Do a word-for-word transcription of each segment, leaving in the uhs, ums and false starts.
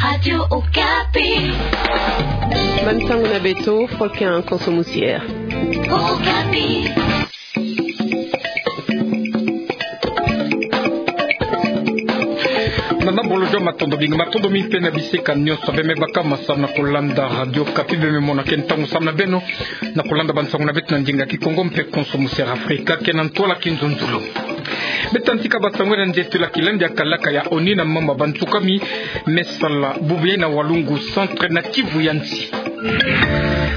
Radio Okapi. Bansango na beto, Faustin Konso Musier. Okapi. Nana bolojo, matondo mingi, matondo mingi mpe na bisika nyonso beme baka ma samu na kulanda Radio Okapi, beme mona ke ntangu samu na beno na kulanda bansango na beto na ndinga Kikongo mpe Konso Musier Afrika, ke na ntwala Kinzonzolo. Beta ntika bansango na nzeto la kilandi ya kalaka ya ONU na mama bantsukami me sala bubu yai na Walungu Centre na Kivu ya nsi.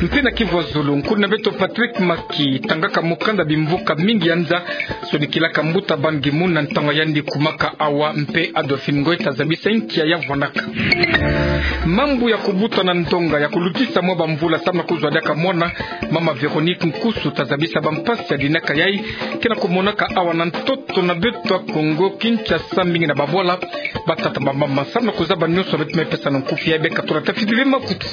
Mpe na Kivu ya zulu, nkulu na beto Patrick Maki tangaka mokanda bimvuka mingi ya nza, sonikilaka mbuta Ban Ki-moon na ntangu yandi kumaka awa, mpe Adolphine Ngoy ta zabisa nki ya vwanaka. Mambu ya kubuta na ndonga ya kulutisa mwa bamvula samu na kuzwa diaka mwana, mama Véronique Nkusu ta zabisa bampasi ya dinaka yai ke na kumonaka awa na ntoto na beto ya Kongo Kinshasa, mingi na babwala, batata, bamama. Samu na kuzaba nyonso, beto me pesa na nkufi ya beka tola tafidile makutu.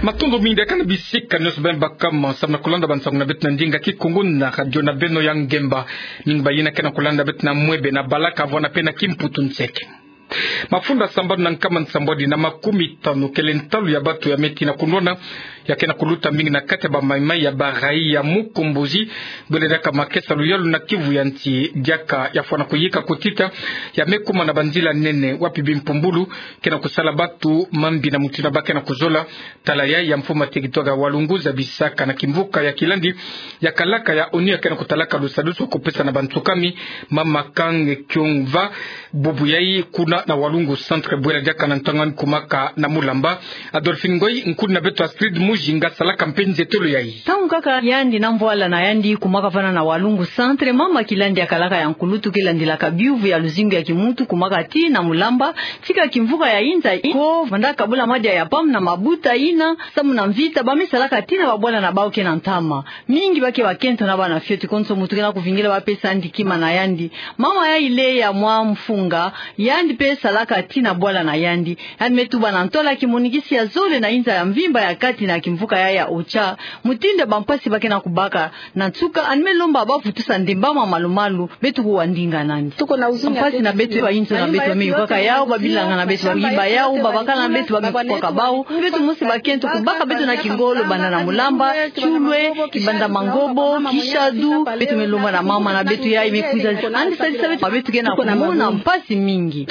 Matondo mingi diaka na bisika nyonso beme baka ma samu na kulanda bansango na beto na ndinga Kikongo na radio na beno ya ngemba. Mingi bayina ke na kulanda beto na mwebe, na balaka, vwanda mpe na kimputu nseke. Mafunda sambanu na nkama nsambwadi na makumi tanu kele ntalu ya bantu ya me tina kunwana, ya ke na kuluta mingi na kati ya ba maimai ya ba raia ya Mukombozi, bwele diaka makesa luyalu na Kivu ya nsi, diaka ya fwana kuyika kutita, ya me kuma na banzila nene wapi bimpumbulu ke na kusala bantu mambi na mutindu ba ke na kuzola. Tala yai ya mfumu ya territoire ya Walungu zabisaka na kimvuka ya kilandi ya kalaka ya ONU ya ke na kutalaka lusadisu kupesa na bantsukami, mama Kang Kyung-va, bubu yai kuna na Walungu Centre, bwela diaka na ntangu yandi kumaka na Mulamba. Adolphine Ngoy, nkulu na beto Astrid Mujinga salaka mpe nzetolo yai. Ntangu kaka yandi na mvwala na yandi kumaka vana na Walungu Centre, mama kilandi ya kalaka ya nkulutu ke landilaka biuvu ya luzingu ya kimuntu kumaka tii na Mulamba, tika kimvuka ya inza ko vandaka bula madia ya pamu na mabuta yina, samu na mvita ba me salaka tii na babwala na bau ke na ntama. Mingi ba ke bakento na bana fioti, konso muntu ke na kuvingila ba pesa yandi kima na yandi. Mama yai Leya Mwamfunga, yandi mpe salaka tii na bwala na yandi. Yandi me tuba na ntola kimonikisi ya zole na inza ya mvimba ya kati na kimvuka yai ya Ocha, mutindu ya bampasi ba ke na kubaka. Na nsuka, yandi me lomba ba vutusa ndemba ma malu-malu, beto kuwa ndinga nandi. Bampasi na beto, bayinzo na beto ba me yukaka yau, babilanga na beto ba me yiba yau, babakala na beto ba me kukwaka bau. Beto mosi bakento kubaka beto na kingolo, banda na Mulamba, Kiulwe, Kibanda Mangobo, Kishadu, beto me lomba na mama na beto yai me kwiza. Yandi sadisa beto, beto ke na kumona mpasi mingi.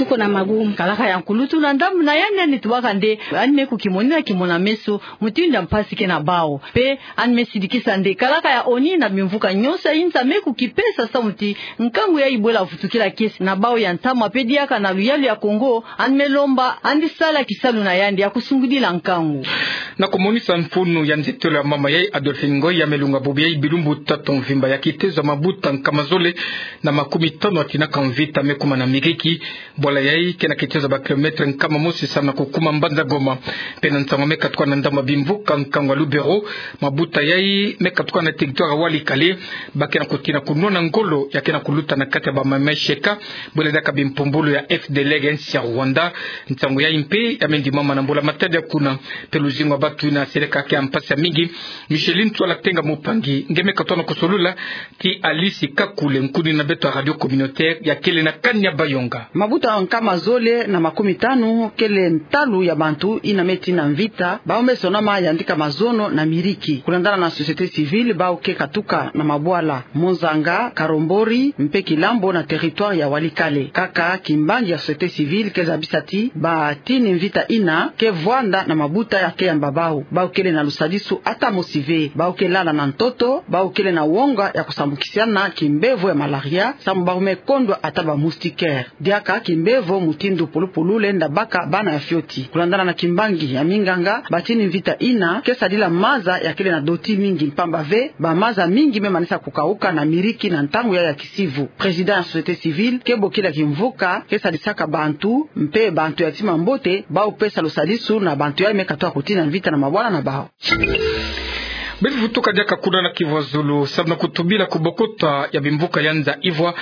Kalaka ya nkulutu na ndambu na yandi, yandi tubaka nde, yandi me kukimonina kimona meso, mutindu ya mpasi ke na bau. Mpe yandi me sidikisa nde kalaka ya ONU na bimvuka nyonso ya inza me kukipesa samu ti nkangu yai bwela vutukila kiese na bau ya ntama mpe diaka na luyalu ya Kongo. Yandi me lomba yandi sala kisalu na yandi ya kusungidila nkangu. Na kumonisa mfunu ya nzetolo ya mama yai, Adolphine Ngoy ya me lunga bubu yai bilumbu tatu mvimba ya kitezo ya mabuta nkama zole na makumi tanu ya tinaka mvita me kuma na Miriki. Bwala yai ke na kitezo ya ba kilomètre nkama mosi samu na kukuma mbanza Goma. Mpe na nsangu me katuka na ndambu ya bimvuka nkangu ya Lubero, mabuta yai me katuka na territoire ya Walikale, ba ke na kutina kunwana ngolo ya ke na kuluta na kati ya ba maimai Sheka, bwela diaka bimpumbulu ya FDLR ya nsi ya Rwanda. Nsangu yai mpe ya me ndimama na mbula-matadi ya kuna. Mpe luzingu ya bantu yina seleka ke ya mpasi ya mingi. Micheline Tswala Tenga Mupangi nge me katuka na kusolola ti Alice Kakule, nkuni na beto ya radio communautaire ya kele na Kanyabayonga. Mabuta nkama zole na makumi tanu kele ntalu ya bantu yina me tina mvita, bau me sonama yandika mazono na Miriki. Kulandana na société civile, bau ke katuka na mabwala Monzanga, Karombori, mpe Kilambo na territoire ya Walikale. Kaka kimbangi ya société civile ke zabisa ti batini mvita yina ke vwanda na mabuta ya ke yamba bau. Bau kele na lusadisu ata mosi ve. Bau ke lala na ntoto, bau kele na wonga ya kusambukisana kimbevo ya malaria, samu bau me kondwa ata ba moustiquaire. Diaka kimbevo mutindu pulupulu lenda baka bana ya fioti. Kulandana na kimbangi ya minganga, batini mvita yina ke sadila maza ya kele na doti mingi, mpamba ve ba maza mingi me manisa kukauka na Miriki na ntangu yai ya kisivu. Président ya société civile ke bokila kimvuka ke sadisaka bantu, mpe bantu ya tima mbote, bau pesa lusadisu na bantu yai me katuka kutina mvita na mabwala na bau. Beto vutuka diaka kuna na Kivu ya zulu, samu na kutubila kubokota ya bimvuka ya nza Ivwa,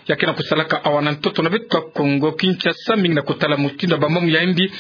ya ke na kusalaka awa na ntoto na beto ya Kongo Kinshasa, mingi na kutala mutindu ya bamamu ya imbi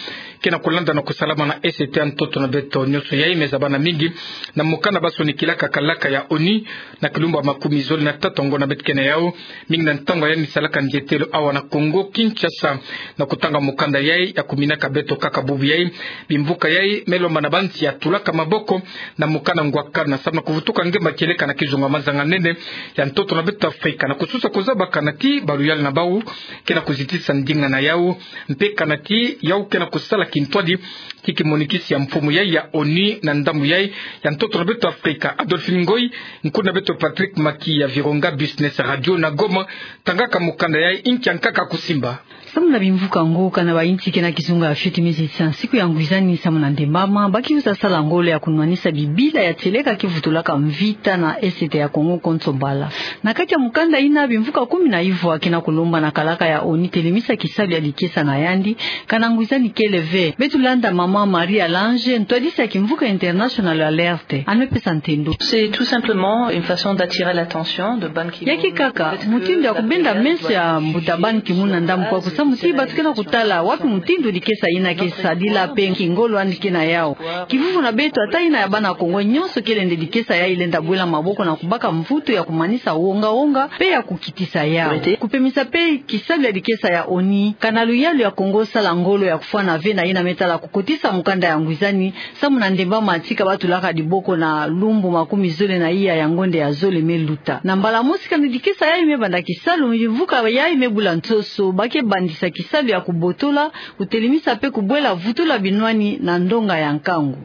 ke na kulanda na kusalama na S T ya ntoto na beto. Nyonso yayi me zabana mingi na mokanda ba sonikilaka kalaka ya ONU na kilumbu ya makumi zole na tatu ya ngonda beto ke na yawu, mingi na ntangu ya yandi salaka ndietelo awa na Kongo Kinshasa, na kutanga mokanda yayi ya kuminaka beto kaka bubu yayi. Bimvuka yayi me lomba na bansi ya tulaka maboko na mokanda ngwakana samu na kuvutuka ngemba kieleka na kizunga mazanga nene ya ntoto na beto Afrika, na kususa kuzaba kana ti baluyalu na bawu ke na kuzitisa ndinga na yawu, mpe kana ti yawu ke na kusala kintwadi ki kimonikisi ya mfumu yayi ya ONU na ndambu yayi ya ntoto na beto Afrika. Adolphine Ngoyi, nkuna beto Patrick Maki ya Virunga Business Radio na Goma, tangaka mokanda yayi, inki ya nkaka kusimba. Samu na bimvuka ngo, kana bayinsi ke na kizunga ya fioti me zitisa nsiku ya ngwizani samu na ndembama, ba kiuza sala ngolo ya kunwanisa bibila ya tieleka kivutulaka mvita na S T ya Kongo konso mbala. Na kati ya mokanda yina, bimvuka kumi na ivwa ke na kulomba na kalaka ya ONU telemisa kisalu ya dikesa na yandi, kana ngwizani kele ve. Beto landa mama Marie Alange, ntwadisi ya Kimvuka International Alerte, yandi me pesa ntindu. C'est tout simplement une façon d'attirer l'attention de Ban Ki-moon. Ya ke kaka mutindu ya kubenda meso ya mbuta Ban Ki-moon na ndambu kwa kusamu ti bato ke na kutala wapi mutindu dikesa yina ke sadila mpe nki ngolo yandi ke na yawu. Kivuvu na beto, ata yina ya bana Kongo, nyonso kele nde dikesa yayi lenda bwela maboko na kubaka mvutu ya kumanisa wonga-wonga mpe ya kukitisa yawu. Kupemisa mpe kisalu ya dikesa ya ONU, kana luyalu ya Kongo sala ngolo ya kufwana ve na yina me tala kukotisa mokanda ya ngwizani samu na ndembama, tika ba tulaka diboko na lumbu makumi zole na iya ya ngonda ya zole me luta. Na mbala mosi, kana dikesa yayi me banda kisalu, bimvuka yayi me bula nsoso, ba ke bandisa kisalu ya kubotola, kutelemisa mpe kubwela vutula binwani na ndonga ya nkangu.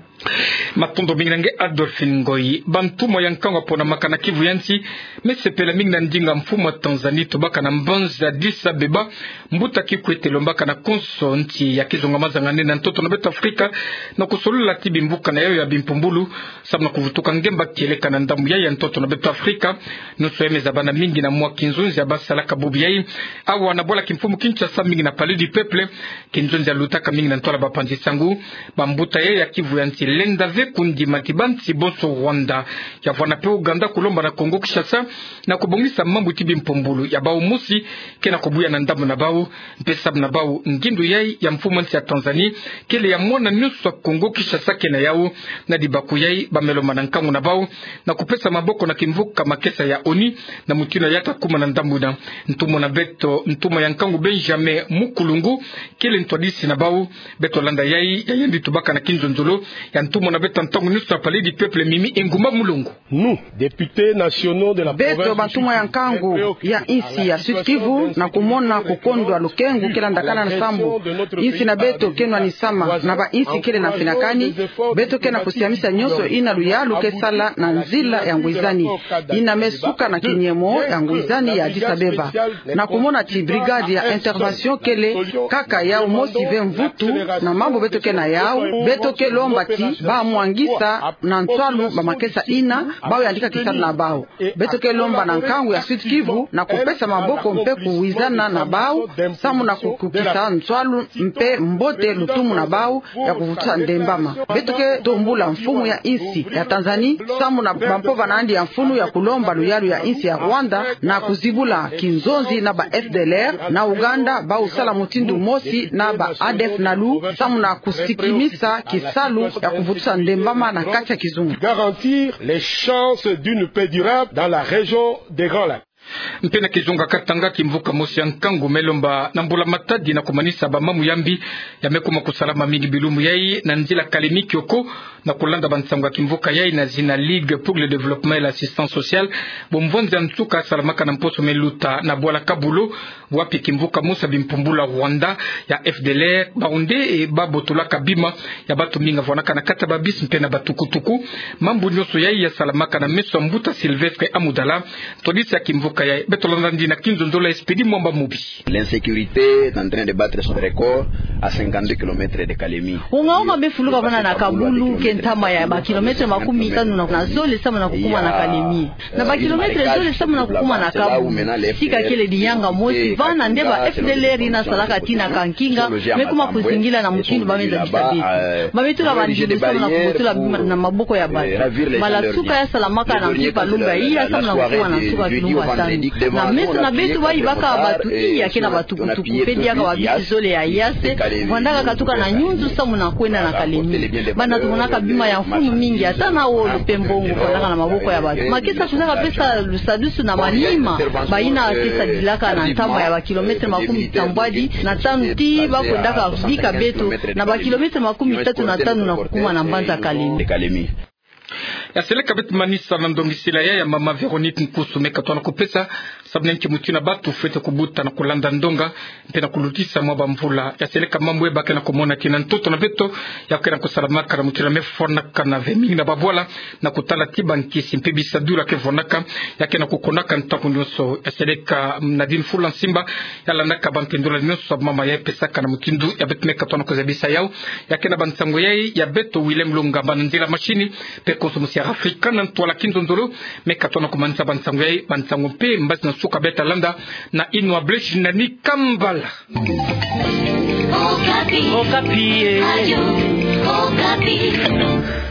Matondo mingi na nge Adolphine Ngoyi. Bantumwa ya nkangu ya ponamaka na Kivu ya nsi me sepela mingi na ndinga mfumu ya Tanzanie tobaka na mbanza Addis Abeba, mbuta kikwete lombaka na konso nsi ya kizunga mazanga nene na ntoto na beto Afrika, na kusolola ti bimvuka na yawu ya bimpumbulu samu na kuvutuka ngemba kieleka na ndambu yayi ya ntoto na beto Afrika. Nyonso yayi me zabana mingi na mwa kinzonzi ya ba salaka bubu yayi awa na bwala kimfumu Kinshasa, mingi na Palais du Peuple. Kinzonzi ya lutaka mingi na ntwala bapanzi sangu. Bambuta yayi ya Kivu ya nsi lenda ve kundima ti bansi bonso, Rwanda, ya vwanda mpe Ouganda, kulomba na Kongo Kinshasa na kubongisa mambu ti bimpumbulu ya bawu mosi ke na kubuya na ndambu na bawu, mpe samu na bawu ngindu yayi ya mfumu ya nsi ya Tanzanie kele ya mwana nyonso ya Kongo Kinshasa ke na yawu. Na dibaku yayi, ba me lomba na nkangu na bawu na kupesa maboko na kimvuka makesa ya ONU na mutindu ya ta kuma na ndambu na ntumwa na beto, ntumwa ya nkangu Benjamin Mukulungu, kele ntwadisi na bawu. Beto landa yayi ya yandi tobaka na kinzonzolo ya ntumwa na beto ya ntangu nyonso ya Palais du Peuple, Mimi Engumba Mulongo. Nous, députés nationaux de la province du Sud, très préoccupés de la situation de notre pays. Beto bantumwa ya nkangu ya nsi ya Sud-Kivu, na kumona kukondwa lukengu ke landakana na sambu insi na beto ke nwanisama na bainsi kele na mfinakani, beto ke na kusiamisa nyonso yina luyalu ke sala na nzila ya ngwizani, yina me suka na kinyemo ya ngwizani ya Addis Abeba. Na kumona ti brigade ya intervention kele kaka yawu mosi ve mvutu na mambu beto ke na yawu, beto ke lomba ti ba mwangisa na nswalu bamakesa yina, bawu yandika kisalu na bawu. Beto ke lomba na nkangu ya Sud-Kivu na kupesa maboko mpe kuwizana na bawu, samu na kukukisa nswalu mpe mbote lutumu na bawu ya kuvutusa ndembama. Beto ke tombula mfumu ya insi ya Tanzanie samu na bampova na yandi ya mfunu ya kulomba luyalu ya insi ya Rwanda na kuzibula kinzonzi na ba F D L R na Ouganda, bawu sala mutindu mosi na ba A D F nalu, samu na kusikimisa kisalu ya kuvutusa ndembama na kati ya kizunga. Garantir les chances d'une paix durable dans la région des Grands Lacs. Mpe na kizunga Katanga, kimvuka mosi ya nkangu me lomba na mbula matadi na kumanisa bamamu ya mbi ya me kuma kusalama mingi bilumbu yayi na nzila Kalemi-Kioko, na kulanda bansangu ya kimvuka yayi na zina Ligue pour le Développement et l'Assistance Sociale, bomvwanzi ya nsuka salamaka na mposo me luta na bwala Kabulo, wapi kimvuka mosi ya bimpumbulu ya Rwanda ya F D L R, bawu nde, eh, ba botolaka bima ya bato mingi ya vwanaka na kati ya babisi mpe na batukutuku. Mambu nyonso yayi ya salamaka na meso ya mbuta Sylvestre Amudala, ntwadisi ya kimvuka yayi. Beto landa yandi na kinzonzolo ya Expédit Mwamba Mubi. L'insécurité est en train de battre son record à cinquante-deux kilomètres de Kalemi. Wonga-wonga me fuluka vana na Kabulo, ke ntama ya ba kilomètre makumi tanu na, na zole samu na kukuma na Kalemi. Na ba kilomètre zole samu na kukuma na Kabulo, sika kele diyanga mosi vana nde ba F D L R yina salaka tina kankinga me kuma kuzingila na mutindu ba me zabisa beto. Ba me tula bandilu samu na kubotola bima na maboko ya bato. Bala nsuka ya salamaka na mpimpa lumbu ya iya samu na kukuma na nsuka kilumbu ya Na meso na beto bayibaka bato iya ke na batukutuku pe diaka babisi zole ya yase, vandaka katuka na nyunzu samu na kwenda na Kalemi. Banda tumonaka bima ya mfunu mingi, ata na wolo pe mbongo vandaka na maboko ya bato. Makesa kwiza kapesa lusadusu na manima bayina ke sadilaka na ntama ya bakilometre makumi tambwadi na tanu ti bakwendaka bika beto na bakilometre makumi tatu na tanu na kukuma na mbanza Kalemi. Ya seleka beto manisa na ndongisila ya, ya mama Véronique Nkusu me katona kupesa, samu na nki mutina bato fwete kubuta na kulanda ndonga mpe na kulutisa mwa bamvula. Ya seleka mambu e ba ke na kumona ti na ntoto na beto, ya ke na kusalamaka na mutina me fwanaka na ve mingi na babwala, na kutala ti bankisi mpe bisadulu ke vonaka, ya ke na kukonaka ntangu nyonso. Ya seleka Nadine Fula Nsimba, ya landaka bankendola nyonso ya mama ya pesaka na mutindu ya beto me katona kuzabisa yau. Ya ke na bansango yai ya beto Willem Lunga, bana nzila mashini, pe konso musi ya Afrika na ntwala kinzonzolo, me katona kumanisa bansango yai, bansango mpe mbazi na suka beta landa na Inwa Blesh na ni Kambala. Okapi. Okapi, eh. Radio Okapi.